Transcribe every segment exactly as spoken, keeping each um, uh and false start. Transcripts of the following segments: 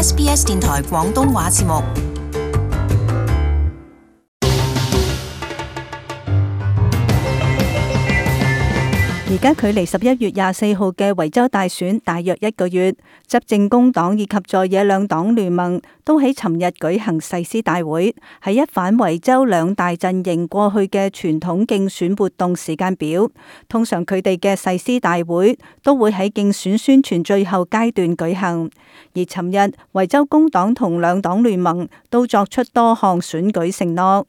S B S 電台廣東話節目。而家距離十一月廿四號嘅維州大選大約一個月，執政工黨以及在野兩黨聯盟都喺尋日舉行誓師大會，係一反維州兩大陣營過去嘅傳統競選活動時間表。通常佢哋嘅誓師大會都會喺競選宣傳最後階段舉行，而尋日維州工黨同兩黨聯盟都作出多項選舉承諾。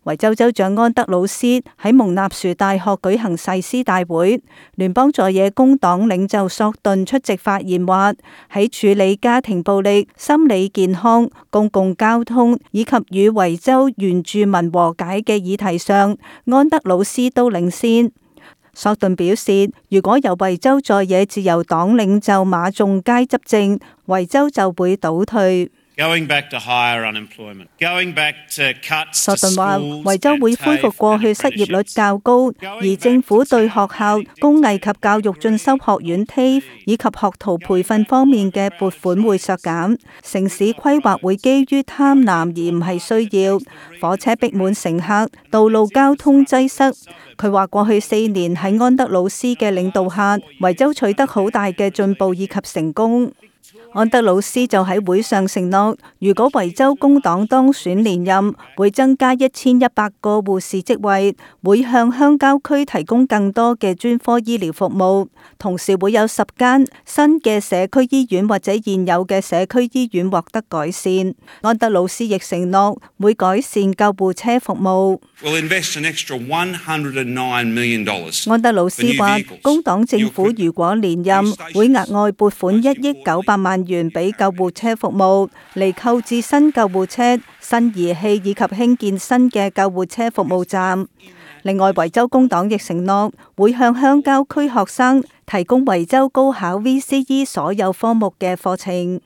維州州長安德魯斯喺蒙納殊大學舉行誓師大會，聯邦在野工黨領袖索頓出席發言話，喺處理家庭暴力、心理健康、公共交通以及與維州原住民和解嘅議題上，安德魯斯都領先。索頓表示，如果由維州在野自由黨領袖馬仲佳執政，維州就會倒退。Going back to higher unemployment. Going back to cuts. 索頓話，維州會恢復過去失業率較高，而政府對學校、工藝及教育進修學院 T A F E 以及學徒培訓方面嘅撥款會削減。城市規劃會基於貪婪而唔係需要。火車逼滿乘客，道路交通擠塞。佢話過去四年喺安德魯斯嘅領導下，維州取得好大嘅進步以及成功。安德魯斯就喺會上承諾，如果維州工黨當選連任，會增加一千一百個護士職位，會向鄉郊區提供更多嘅專科醫療服務，同時會有十間新嘅社區醫院或者現有嘅社區醫院獲得改善。安德魯斯亦承諾會改善救護車服務。We'll invest an extra one hundred nine million dollars. 安德魯斯話，工黨政府如果連任，會額外撥款一億九百萬元俾救護車服務，嚟購置新救護車、新儀器以及興建新嘅救護車服務站。另外，維州工黨亦承諾會向鄉郊區學生提供維州高考 V C E 所有科目嘅課程。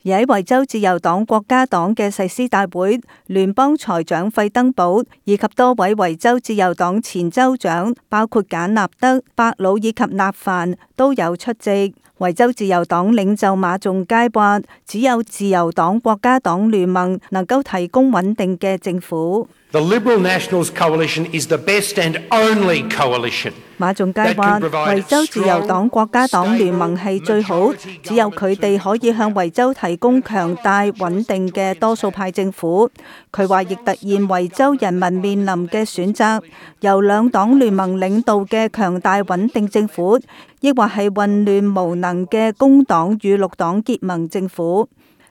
而喺維州自由黨國家黨嘅誓師大會，聯邦財長費登堡以及多位維州自由黨前州長，包括簡納德、伯魯以及納凡都有出席。維州自由黨領袖馬仲佳話，只有自由黨國家黨聯盟能夠提供穩定嘅政府。The Liberal Nationals Coalition is the best and only coalition. 馬仲佳話，維州自由黨國家黨聯盟係最好，只有佢哋可以向維州提供強大穩定嘅多數派政府。佢話亦突現維州人民面臨嘅選擇，由兩黨聯盟領導嘅強大穩定政府，抑或係混亂無能嘅工黨與綠黨結盟政府。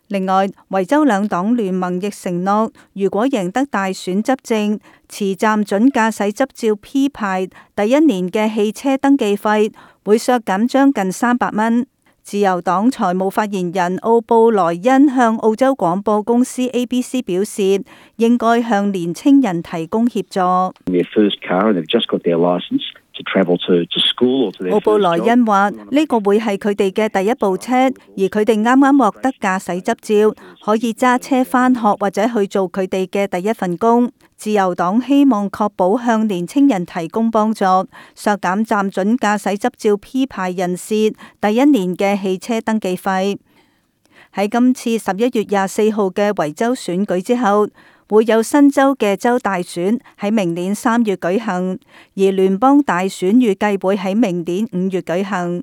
另外，維州兩黨聯盟亦承諾，如果贏得大選執政，持暫准駕駛執照 P 牌第一年嘅汽車登記費會削減將近三百蚊。自由黨財務發言人奧布萊恩向澳洲廣播公司 A B C 表示，應該向年青人提供協助。奧布萊恩話：呢個會係佢哋嘅第一部車，而佢哋啱啱獲得駕駛執照，可以揸車返學或者去做佢哋嘅第一份工。自由黨希望確保向年青人提供幫助，削減暫准駕駛執照 P 牌人士第一年嘅汽車登記費。喺今次十一月廿四號嘅維州選舉之後，會有新州嘅州大選喺明年三月舉行，而聯邦大選預計會喺明年五月舉行。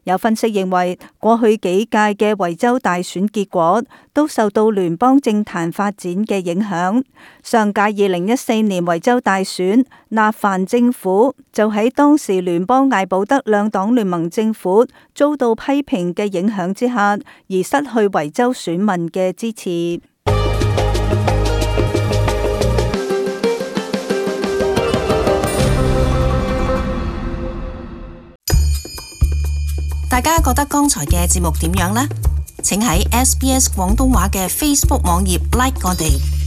有分析認為，過去幾屆嘅維州大選結果都受到聯邦政壇發展嘅影響。上屆二零一四年維州大選，納凡政府就喺當時聯邦艾保德兩黨聯盟政府遭到批評嘅影響之下，而失去維州選民嘅支持。大家覺得剛才嘅節目點樣呢？請喺 S B S 廣東話嘅 Facebook 網頁 like 我哋。